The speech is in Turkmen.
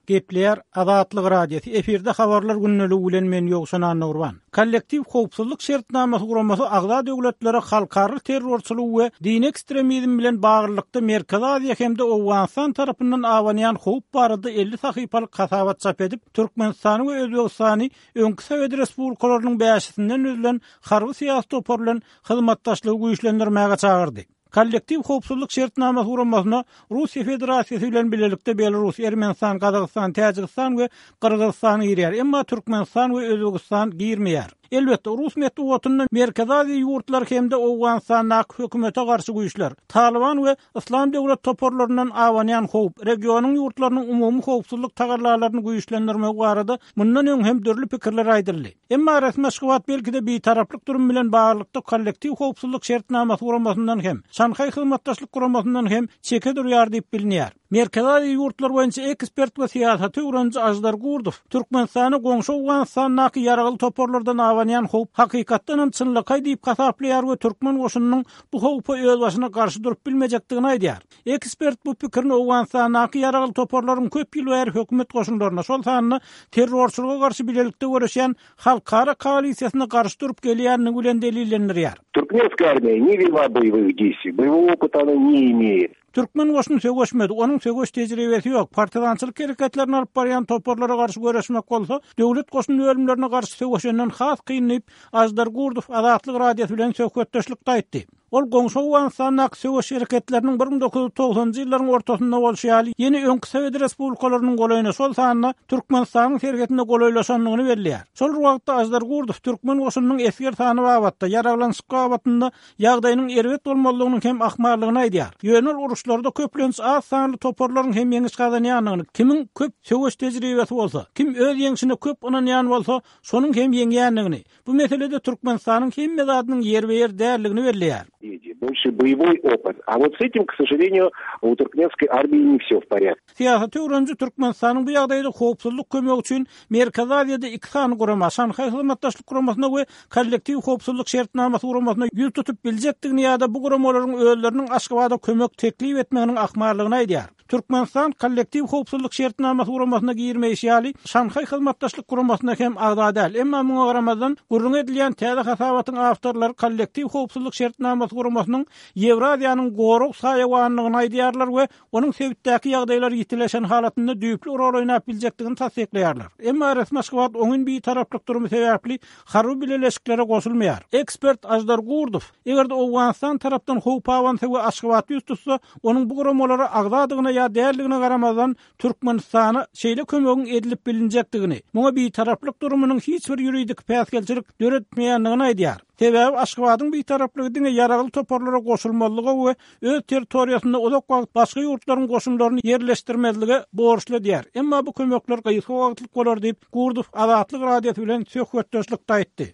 Gepleýär Azatlyk Radiosy, efirde Habarlar gündeligi bilen men Ýowşan Annagurban. Kollektiw howpsuzlyk şertnamasy guramasy agza döwletlere halkara terrorçylygy we dini ekstremizm bilen baglylykda Merkezi Aziýa hem-de Owganystan tarapyndan abanýan howp barada 50 sahypalyk hasabat çap edip, Türkmenistany we Özbegistany öňki sowet respublikalarynyň bäşisinden düzülen harby-syýasy topar bilen hyzmatdaşlygy güýçlendirmäge çagyrdy. Kollektiw howpsuzlyk şertnamasy guramasyna Russiýa Federasiýasy bilen bilelikde Belarus, Ermenistan, Gazagystan, Täjigistan we Gyrgyzystan girýär, emma Türkmenistan we Özbegistan girmeýär. Elbetde, rus metbugatynda Merkezi Aziýa ýurtlary hem-de Owganystandaky hökümete garşy güýçler, Talyban we Yslam döwlet toparlaryndan abanýan howp, regionyň ýurtlarynyň umumy howpsuzlyk tagallalaryny güýçlendirmegi barada mundan öň hem dürli pikirler aýdyldy. Emma resmi Aşgabat belki-de bitaraplyk durumy bilen baglylykda Kollektiw howpsuzlyk şertnamasy guramasyndan hem, Şanhaý hyzmatdaşlyk guramasyndan hem çeke durýar diýip bilinýär. Merkezi Aziýa ýurtlary boýunça ekspert we syýasaty öwreniji Aždar Gurdow Türkmenistana goňşy Owganystandaky ýaragly toparlardan abanýan howp hakykatdan hem çynlakaý diýip hasaplaýar we türkmen goşunynyň bu howpa özbaşyna garşy durup bilmejekdigini aýdýar. Ekspert bu pikirini Owganystandaky ýaragly toparlaryň köp ýyl bäri hökümet goşunlaryna, şol sanda terrorçylyga garşy bilelikde göreşýän halkara koalisiýasyna garşy durup gelýändigi bilen delillendirýär. Türkmenskaya armiya ne wela boýewych deýstwiý, boýewogo opyta ona ne imeýet. Türkmen goşuny söweşmedi, onuň söweş tejribesi ýok. Partizançylyk hereketlerini alyp barýan toparlara garşy göreşmek bolsa, döwlet goşun bölümlerine garşy söweşenden has kyn diýip, Aždar Gurdow Azatlyk Radiosy bilen söhbetdeşlikde aýtdy. Ol goňşy Owganystandaky söweş hereketleriniň 1990-njy ýyllaryň ortasynda bolşy ýaly, ýene öňki sowet respublikalarynyň golaýyna, şol sanda Türkmenistanyň serhedine golaýlaşandygyny belleýär. Şol bir wagtda Aždar Gurdow türkmen goşunynyň esger sany babatda, ýaraglanyşyk babatynda ýagdaýynyň erbet bolmazlygynyň hem ahmallygyny aýdýar. Ýöne ol uruşlarda köplenç az sanly toparlaryň hem ýeňiş gazanýandygyny, kimiň köp söweş tejribesi bolsa, kim öz ýeňşine köp ynanýan bolsa, şonuň hem ýeňýändigini, Bu meselede Türkmenistanyň hemme zadynyň ýerbe-ýer däldigini belleýär. Bolşi boýewoý opyt. A wot s etim, k sožaleniýu, u turkmenskoý armiýi ne wsё w porýadke. Syýasaty öwreniji Türkmenistanyň bu ýagdaýda howpsuzlyk kömegi üçin Merkezi Aziýada iki sany gurama, Şanhaý Hyzmatdaşlyk Guramasyna we Kollektiw howpsuzlyk şertnamasy guramasyna ýüz tutup biljekdigini ýa-da bu guramalaryň özleriniň Aşgabada kömek teklip etmeginiň ahmallygyny aýdýar. Türkmenistan Kollektiw howpsuzlyk şertnamasy guramasyna girmeýşi ýaly, Şanhaý Hyzmatdaşlyk Guramasyna hem agza däl. Emma muňa garamazdan, gürrüňi edilýän täze hasabatyň awtorlary Kollektiw howpsuzlyk şertnamasy guramasynyň Ýewraziýanyň gorag saýawanydygyny aýdýarlar we onuň sebitdäki ýagdaýlar ýitileşen halatynda düýpli rol oýnap biljekdigini tassyklaýarlar. Emma resmi Aşgabat oňyn bitaraplyk durumy sebäpli harby bileleşiklere goşulmaýar. Ekspert Aždar Gurdow, eger-de Owganystan tarapdan howp abansa we Aşgabat ýüz tutsa, onuň bu guramalara agzadygyna ýa däldigine garamazdan, Türkmenistana şeýle kömegiň edilip bilinjekdigini, muňa bitaraplyk durumynyň hiç bir ýuridik päsgelçilik döretmeýändigini aýdýar. Sebäbi Aşgabadyň bitaraplygy diňe ýaragly toparlara goşulmazlyga we öz territoriýasynda uzak wagt başga ýurtlaryň goşunlaryny ýerleşdirmezlige borçly edýär. Emma bu kömekler gysga wagtlyk bolar diýip, Gurdow Azatlyk Radiosy bilen söhbetdeşlikde aýtdy.